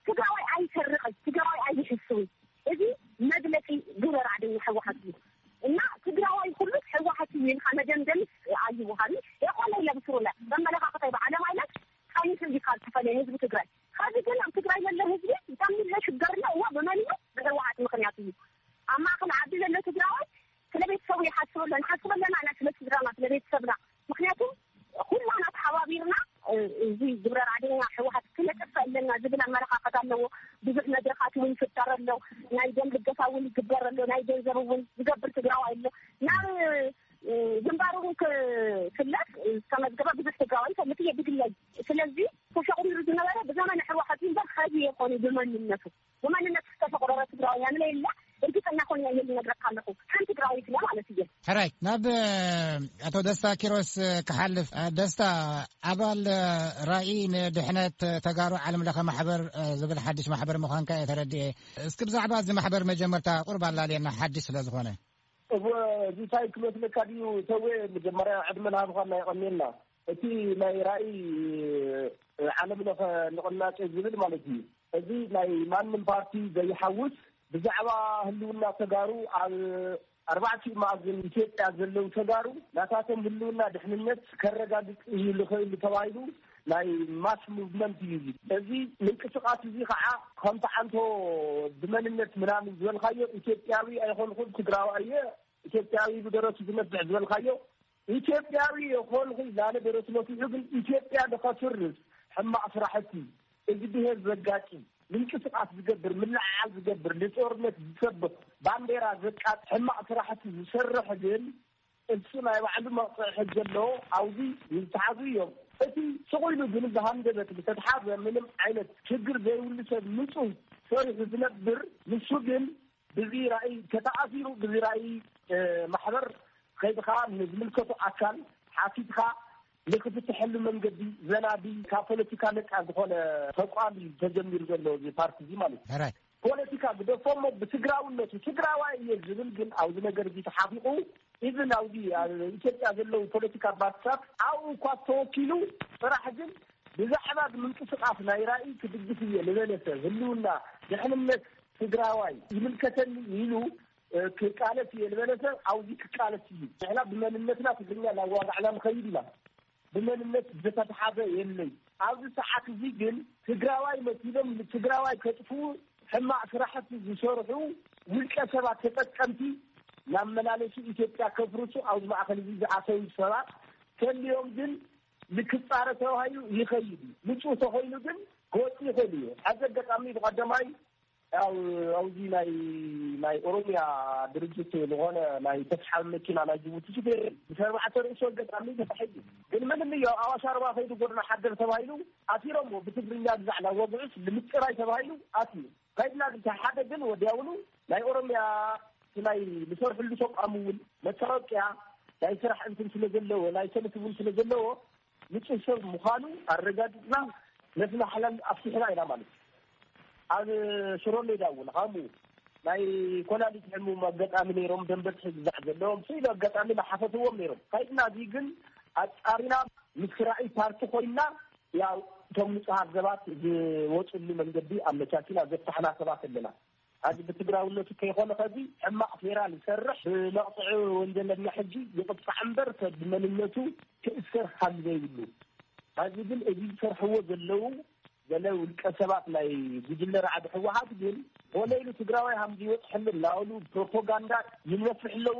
ትግራዋይ ኣይሰርቕን፣ ትግራዋይ ኣይሕስውን። እዚ መግለፂ ግብረ ራዕደኛ ህወሓት እዩ። እና ትግራዋይ ኩሉ ህወሓት እዩ ኢልካ መደምደምስ ኣይወሃብን። የኾነ ኢለ ብስሩላ መመለኻኸታይ ብዓለም ኣይነት ቀይሕ እንዲካ ዝተፈለየ ህዝቢ ትግራይ ኸዚ ግን ኣብ ትግራይ ዘሎ ህዝቢ ብጣዕሚ ሽገር ኣሎ። እዋ ብመን እዩ? ብህወሓት ምኽንያት እዩ። ኣብ ማእኸል ዓዲ ዘሎ ትግራዋይ ስለ ቤተሰቡ ይሓስብ ኣሎ። ንሓስብ ኣለና ኢና ስለ ስድራና፣ ስለ ቤተሰብና። ምክንያቱ ኩላና ተሓባቢርና እዚ ግብረ ራዕደኛ ህወሓት ክነጥፍእ ኣለና ዝብል ኣመለኻኸት ኣለዎ። ብዙሕ መድረኻት እውን ይፍጠር ኣሎ። ናይ ደም ልገሳ እውን ይግበር ኣሎ። ናይ ገንዘብ እውን ዝገብር ትግራዋይ ኣሎ። ናብ ግንባር እውን ክፍለጥ ዝተመዝገበ ብዙሕ ትግራዋይ ይፈልጥ እየ ብግለይ። ስለዚ ተሸቑሪሩ ዝነበረ ብዘመነ ህወሓት እዩ እምበር ኸዚ የኾነ ብመንነቱ ብመንነቱ ዝተሸቑረረ ትግራዋይ ያምለ የለ። እርግጠኛ ኾን እየ ልነግረካ ኣለኹ ከም ትግራዋይ ስለ ማለት እየ። ሕራይ ናብ ኣቶ ደስታ ኪሮስ ክሓልፍ። ደስታ፣ ኣባል ራኢ ንድሕነት ተጋሩ ዓለም ለኸ ማሕበር ዝብል ሓድሽ ማሕበር ምዃንካ እየ ተረድኤ። እስኪ ብዛዕባ እዚ ማሕበር መጀመርታ ቁርብ ኣላልየና፣ ሓድሽ ስለ ዝኾነ። እወ፣ እዚ እንታይ ክመስለካ ድዩ? ተወ፣ መጀመርያ ዕድመን ሃብኻና የቐንየልና። እቲ ናይ ራእይ ዓለም ለኸ ንቕናቄ ዝብል ማለት እዩ። እዚ ናይ ማንም ፓርቲ ዘይሓውስ፣ ብዛዕባ ህልውና ተጋሩ ኣብ ኣርባዕቲኡ መኣዝን ኢትዮጵያ ዘለዉ ተጋሩ ናታቶም ህልውና ድሕንነት ከረጋግጽ እዩ ልኽእል ተባሂሉ ናይ ማስ ሙቭመንት እዩ። እዚ ምንቅስቃስ እዚ ከዓ ከምቲ ዓንቶ ብመንነት ምናምን ዝበልካዮ ኢትዮጵያዊ ኣይኮንኩን ትግራዋይ እየ፣ ኢትዮጵያዊ ብደረቱ ዝነፍዕ ዝበልካዮ ኢትዮጵያዊ የኾንኹ ላለ ደረቱ ነፊሑ ግን ኢትዮጵያ ንኸፍርስ ሕማቕ ስራሕቲ እዚ ብሄር ዘጋጭ ምንቅስቃስ ዝገብር ምልዕዓል ዝገብር ንጦርነት ዝሰብኽ ባንዴራ ዘቃጥ ሕማቕ ስራሕቲ ዝሰርሕ ግን እሱ ናይ ባዕሉ መቕፅዒ ሕጊ ኣለዎ። ኣብዚ ዝተሓዙ እዮም። እቲ ስቕ ኢሉ ግን ብሃንደበት ዝተትሓዘ ምንም ዓይነት ሽግር ዘይብሉ ሰብ ንፁህ ሰሪሑ ዝነብር ንሱ ግን ብዚ ራእይ ተተኣሲሩ ብዚ ራእይ ማሕበር ከይድኻ ንዝምልከቱ ኣካል ሓቲትካ ንክፍትሐሉ መንገዲ ዘናዲ ካብ ፖለቲካ ነፃ ዝኾነ ተቋም እዩ ተጀሚሩ ዘሎ እዚ ፓርቲ እዚ ማለት እዩ። ፖለቲካ ግደፎሞ ብትግራውነቱ ትግራዋይ እየ ዝብል ግን ኣብዚ ነገር እዚ ተሓቢቑ ኢቭን ኣብዚ ኢትዮጵያ ዘለዉ ፖለቲካ ፓርቲታት ኣብኡ እኳ ተወኪሉ ጥራሕ ግን ብዛዕባ ምንቅስቃስ ናይ ራእይ ክድግፍ እየ ዝበለ ሰብ ህልውና ድሕንነት ትግራዋይ ይምልከተኒ ኢሉ ክቃለስ እየ ዝበለ ሰብ ኣብዚ ክቃለስ እዩ። ንሕና ብመንነትና ትግርኛ እናዋጋዕና ንኸይድ ኢና። ብመንነት ዝተትሓዘ የለይ። ኣብዚ ሰዓት እዚ ግን ትግራዋይ መሲሎም ንትግራዋይ ከጥፍኡ ሕማቕ ስራሕቲ ዝሰርሑ ውልቀ ሰባት ተጠቀምቲ ናመላለሱ ኢትዮጵያ ከፍርሱ ኣብዚ ማእኸል እዚ ዝኣተዉ ሰባት ተልዮም ግን ንክፃረ ተባሂሉ ይኸይድ እዩ። ንፁህ ተኾይኑ ግን ክወፅእ ይኽእል እዩ። ኣብዚ ኣጋጣሚ ብቐደማይ ያው ኣብዚ ናይ ናይ ኦሮሚያ ድርጅት ዝኾነ ናይ ተስሓቢ መኪና ናይ ጅቡቲ ሹፌር ምስ ኣርባዕተ ርእሱ ኣጋጣሚ ተታሒዙ ግን ምንም እዩ ኣብ ኣዋሽ ኣርባ ከይዱ ጎድና ሓደር ተባሂሉ ኣሲሮሞ ብትግርኛ ግዛዕ ናብ ወግዑስ ንምፅራይ ተባሂሉ ኣትዩ ከይድና ሓደ ግን ወዲያውኑ ናይ ኦሮሚያ ናይ ዝሰርሕሉ ተቋም እውን መታወቅያ ናይ ስራሕ እንትን ስለ ዘለዎ ናይ ሰልፍ እውን ስለ ዘለዎ ንፁህ ሰብ ምዃኑ ኣረጋጊፅና ነቲ ማሕላል ኣፍቲሕና ኢና ማለት እዩ። ኣብ ሽሮ ሜዳ እውን ከምኡ ናይ ኮላሊት ሕሙም ኣጋጣሚ ነይሮም ደንበ ትሕግዛዕ ዘለዎም ስኢሉ ኣጋጣሚ ናሓፈትዎም ነይሮም ካይድና እዚ ግን ኣፃሪና ምስ ራእይ ፓርቲ ኮይንና ያው እቶም ንፁሃት ሰባት ዝወፅሉ መንገዲ ኣመቻችና ዘፍታሕና ሰባት ኣለና። ኣዚ ብትግራውነቱ ከይኾነ ኸዚ ሕማቕ ፌራ ዝሰርሕ ብመቕፅዒ ወንጀለኛ ሕጂ ይቕፃዕ እምበር ሰብ ብመንነቱ ክእሰር ካብ ዘይብሉ ኣዚ ግን እዚ ዝሰርሕዎ ዘለዉ ገለ ውልቀ ሰባት ናይ ጉጅለ ራዕዲ ህወሓት ግን ሆነ ኢሉ ትግራዋይ ሃም ዝወፅሐሉ እናበሉ ፕሮፓጋንዳ ይነፍሕ ኣለዉ።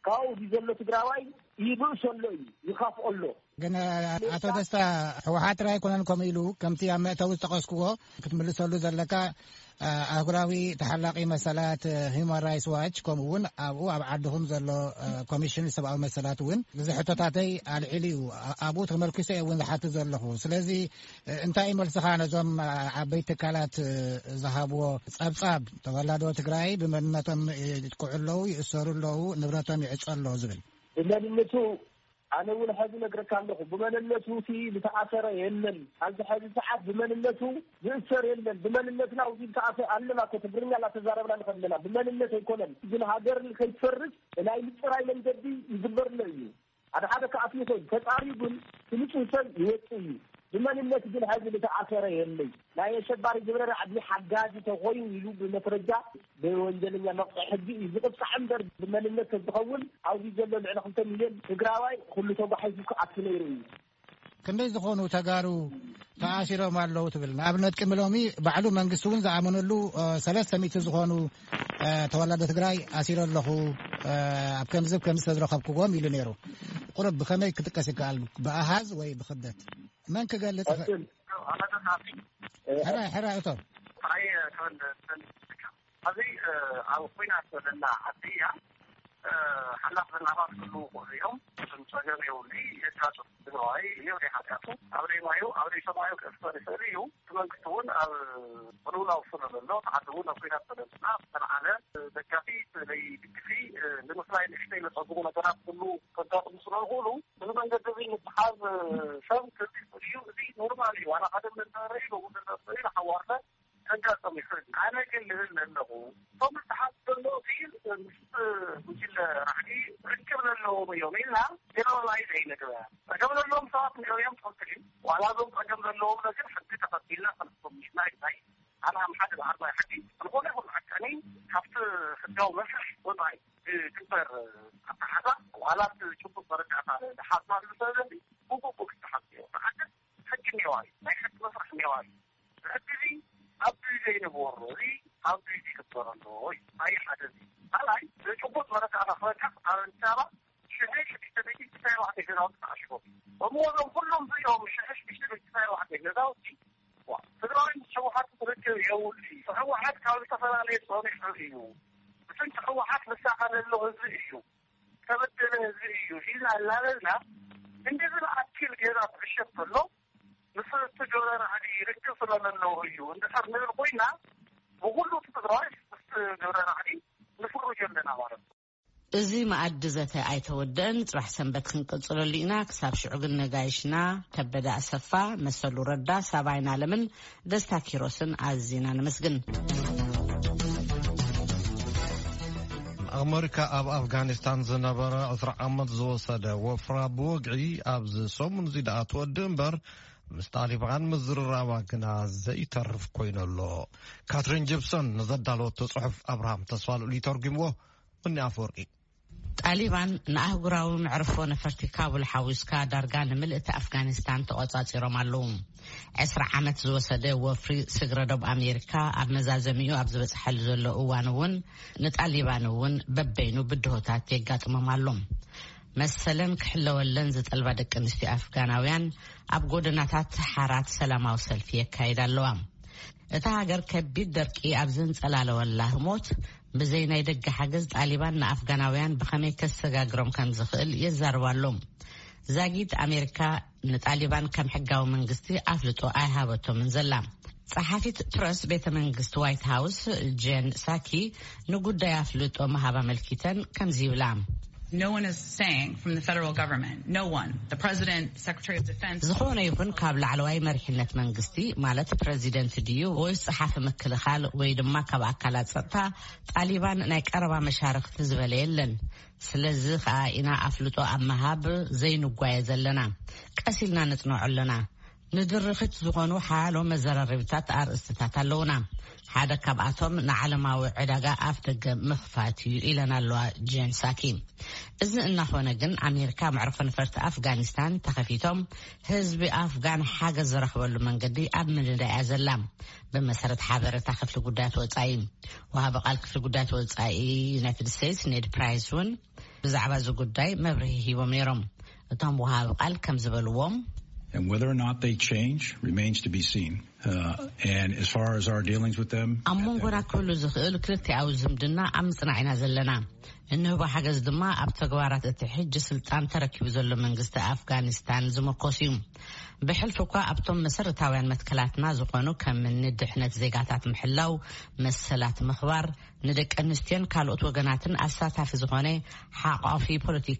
ካብኡ እዚ ዘሎ ትግራዋይ ይብእሶ ኣሎ እዩ ይኻፍኦ ኣሎ። ግን ኣቶ ደስታ ሕወሓት ጥራይ ኣይኮነን ከምኡ ኢሉ ከምቲ ኣብ መእተዊ ዝጠቐስክዎ ክትምልሰሉ ዘለካ ኣህጉራዊ ተሓላቒ መሰላት ሂማን ራይትስ ዋች ከምኡ እውን ኣብኡ ኣብ ዓድኹም ዘሎ ኮሚሽን ሰብኣዊ መሰላት እውን እዚ ሕቶታተይ ኣልዒሉ እዩ ኣብኡ ተመርኪሰ እየ እውን ዝሓትት ዘለኹ ስለዚ እንታይ እዩ መልስኻ ነዞም ዓበይቲ ትካላት ዝሃብዎ ፀብፃብ ተወላዶ ትግራይ ብመንነቶም ይጥቅዑ ኣለዉ ይእሰሩ ኣለዉ ንብረቶም ይዕፀ ኣሎ ዝብል ብመንነቱ ኣነ እውን ሕዚ ነግረካ ኣለኹ፣ ብመንነቱ እቲ ዝተኣሰረ የለን። ኣብዚ ሕዚ ሰዓት ብመንነቱ ዝእሰር የለን። ብመንነትና ውዚ ዝተኣሰረ ኣለና እኮ፣ ትግርኛ እናተዛረብና ንኸድ ኣለና። ብመንነት ኣይኮነን ግን፣ ሃገር ከይትፈርስ ናይ ምፅራይ መንገዲ ይግበርሎ እዩ። ሓደ ሓደ ከኣትዩ ይኽእል፣ ተፃርዩ ግን ንፁህ ሰብ ይወፅእ እዩ። ብመንነት ግን ሕዚ ዝተኣሰረ የለይ። ናይ ኣሸባሪ ግብረ ራዕዲ ሓጋዚ ተኾይኑ ኢሉ ብመስረጃ ብወንጀለኛ መቕፅዒ ሕጊ እዩ ዝቕፃዕ እምበር፣ ብመንነት ተዝኸውን ኣብዚ ዘሎ ልዕሊ ክልተ ሚልዮን ትግራዋይ ኩሉ ተጓሒፉ ክኣቱ ነይሩ እዩ። ክንደይ ዝኾኑ ተጋሩ ተኣሲሮም ኣለዉ ትብል? ንኣብነት ቅድሚ ሎሚ ባዕሉ መንግስቲ እውን ዝኣመነሉ ሰለስተ ሚእቲ ዝኾኑ ተወላዶ ትግራይ ኣሲረ ኣለኹ፣ ኣብ ከምዚ ከምዚ ዝተዝረኸብክዎም ኢሉ ነይሩ። ቁሩብ ብኸመይ ክጥቀስ ይከኣል? ብኣሃዝ ወይ ብኽብደት? መን ክገልጽ ይኽእል? ሕራይ ሕራይ እቶም ኣይ ተወልደ ኣብዚ ኣብ ኩናት ዘለና ዓዲ እያ። ሓላፍ ዘናባት ክህልዉ ይኽእሉ እዮም። እሱም ጸገም የብሉ። የጋጡ ትግራዋይ እዮ ናይ ሓጢኣቱ ኣብ ደይ ማዩ ኣብ ደይ ሰማዩ ክእፍተር ይኽእል እዩ። እቲ መንግስቲ እውን ኣብ ቅልውላው ስለ ዘሎ፣ እቲ ዓዲ እውን ኣብ ኩናት ስለ ዘላ፣ ዝተልዓለ ደጋፊ ለይ ድግፊ ንምፍላይ ንእሽተይ ለጸግሙ ነገራት ክህሉ ከጋጥሙ ስለ ዝኽእሉ፣ እዚ መንገዲ እዚ ምትሓዝ ሰብ ክዚ እዩ። እዚ ኖርማል እዩ። ዋላ ሓደ ምንዛረ እዩ ብጉድለት እዩ ንሓዋርተ ከጋጥም ይኽእል። ኣነ ግን ልብል ዘለኹ፣ እቶም ዝተሓዝ ዘሎ እቲ ምስ ጉጅለ ራዕዲ ርክብ ዘለዎም እዮም ኢልና ጀነራላይዝ ኣይንግበር። ጸገም ዘለዎም ሰባት ንሪኦም ትኽክል እዩ። ዋላ እዞም ጸገም ዘለዎም ግን ሕጊ ተኸቲልና ክንፍቶም ኢልና ኢልናይ። ኣነ ኣብ ሓደ ብዓርባይ ሕጊ ዝኾነ ይኹን ዓቃኒ ካብቲ ሕጋዊ መስርሕ ወጻኢ ዝግበር ኣተሓዛ ዋላ እቲ ጭቡጥ መረዳእታ ዝሓዝናሉ ሰብ ዘንዲ ብግቡእ ክተሓዝ እዮ። ብሓደ ሕጊ እኒዋ እዩ። ናይ ሕጊ መስርሕ እኒዋ እዩ። ሕጊ እዚ ኣብ ግዜ ይንበሮ፣ እዚ ኣብ ግዜ ይግበር ኣሎ እዩ። ኣይ ሓደ እዚ። ካልኣይ፣ ዘጭቡጥ መረዳእታ ክበቅዕ ኣብ ኣዲስ ኣበባ ሽሕን ሽዱሽተ ሚእትን ትስዓን ኣርባዕተን ገዛውቲ ተዓሽጎም። እሞ እዞም ኩሎም እዚኦም ሽሕን ሽዱሽተ ሚእትን ትስዓን ኣርባዕተን ገዛውቲ፣ ዋ፣ ትግራይ ምስ ህወሓት ርክብ የብሉ እዩ። ህወሓት ካብ ዝተፈላለየ ጸኒሑ እዩ። ብስንኪ ህወሓት ዝሳቐ ዘሎ ህዝቢ እዩ። ዝተበደለ ህዝቢ እዩ ኢልና እናበልና፣ እንደዚ ዝኣክል ገዛ ክዕሸግ ከሎ፣ ምስ እቲ ዶላር ዓዲ ርክብ ስለ ዘለዎ እዩ እንድሕር ንብል ኮይና፣ ብኹሉ እቲ ትግራዋይ ምስ ዶላር ዓዲ ንፍርጆ ኣለና ማለት ነው። እዚ መኣዲ ዘተ ኣይተወደአን። ጽባሕ ሰንበት ክንቅጽለሉ ኢና። ክሳብ ሽዑ ግን ነጋይሽና ከበደ ኣሰፋ፣ መሰሉ ረዳ፣ ሳባይን ኣለምን ደስታ ኪሮስን ኣዚና ነመስግን። ኣመሪካ ኣብ ኣፍጋኒስታን ዝነበረ ዕስራ ዓመት ዝወሰደ ወፍራ ብወግዒ ኣብዚ ሰሙን እዚ ደኣ ትወድእ እምበር፣ ምስ ጣሊባን ምዝርራባ ግና ዘይተርፍ ኮይኑ ኣሎ። ካትሪን ጂፕሰን ንዘዳለወቶ ጽሑፍ ኣብርሃም ተስፋልኡል ይተርጉምዎ። ብኒ ኣፈወርቂ። ጣሊባን ንኣህጉራዊ መዕርፎ ነፈርቲ ካቡል ሓዊስካ ዳርጋ ንምልእቲ ኣፍጋኒስታን ተቖጻጺሮም ኣለዉ። ዕስራ ዓመት ዝወሰደ ወፍሪ ስግረ ዶብ ኣሜሪካ ኣብ መዛዘሚኡ ኣብ ዝበጽሐሉ ዘሎ እዋን እውን ንጣሊባን እውን በበይኑ ብድሆታት የጋጥሞም ኣሎ። መሰለን ክሕለወለን ዝጠልባ ደቂ ኣንስትዮ ኣፍጋናውያን ኣብ ጎደናታት ሓራት ሰላማዊ ሰልፊ የካይዳ ኣለዋ። እታ ሃገር ከቢድ ደርቂ ኣብ ዘንጸላለወላ ህሞት፣ ብዘይ ናይ ደገ ሓገዝ ጣሊባን ንኣፍጋናውያን ብኸመይ ከሰጋግሮም ከም ዝኽእል የዛርቡ ኣለዉ። ዛጊት ኣሜሪካ ንጣሊባን ከም ሕጋዊ መንግስቲ ኣፍልጦ ኣይሃበቶምን ዘላ። ጸሓፊት ፕረስ ቤተ መንግስቲ ዋይት ሃውስ ጄን ሳኪ ንጉዳይ ኣፍልጦ ምሃብ ኣመልኪተን ከምዚ ይብላ። No one is saying from the federal government, no one, the president, secretary of defense. ዝኾነ ይኹን ካብ ላዕለዋይ መሪሕነት መንግስቲ፣ ማለት ፕረዚደንት ድዩ ወይስ ጸሓፊ ምክልኻል ወይ ድማ ካብ ኣካላት ጸጥታ ጣሊባን ናይ ቀረባ መሻርኽቲ ዝበለ የለን። ስለዚ ኸኣ ኢና ኣፍልጦ ኣብ ምሃብ ዘይንጓየ ዘለና። ቀስ ኢልና ነጽንዖ ኣለና። ንድርኺት ዝኾኑ ሓያሎ መዘራረቢታት ኣርእስትታት ኣለዉና። ሓደ ካብኣቶም ንዓለማዊ ዕዳጋ ኣፍ ደገ ምኽፋት እዩ ኢለን ኣለዋ ጄን ሳኪ። እዚ እናኾነ ግን ኣሜሪካ መዕርፎ ነፈርቲ ኣፍጋኒስታን ተኸፊቶም ህዝቢ ኣፍጋን ሓገዝ ዝረኽበሉ መንገዲ ኣብ ምንዳይ እያ ዘላ። ብመሰረት ሓበሬታ ክፍሊ ጉዳያት ወጻኢ፣ ወሃቢ ቃል ክፍሊ ጉዳያት ወጻኢ ዩናይትድ ስቴትስ ኔድ ፕራይስ እውን ብዛዕባ እዚ ጉዳይ መብርሂ ሂቦም ነይሮም። እቶም ወሃቢ ቃል ከም ዝበልዎም And whether or not they change remains to be seen. Uh, and as far as our dealings with them, ኣብ መንጎና ክህሉ ዝኽእል ክልቲኣዊ ዝምድና ኣብ ምጽናዕ ኢና ዘለና። እንህቦ ሓገዝ ድማ ኣብ ተግባራት እቲ ሕጂ ስልጣን ተረኪቡ ዘሎ መንግስቲ ኣፍጋኒስታን ዝምርኮስ እዩ። ብሕልፊ እኳ ኣብቶም መሰረታውያን መትከላትና ዝኾኑ ከም እኒ ድሕነት ዜጋታት ምሕላው፣ መሰላት ምኽባር፣ ንደቂ ኣንስትዮን ካልኦት ወገናትን ኣሳታፊ ዝኾነ ሓቋፊ ፖለቲካ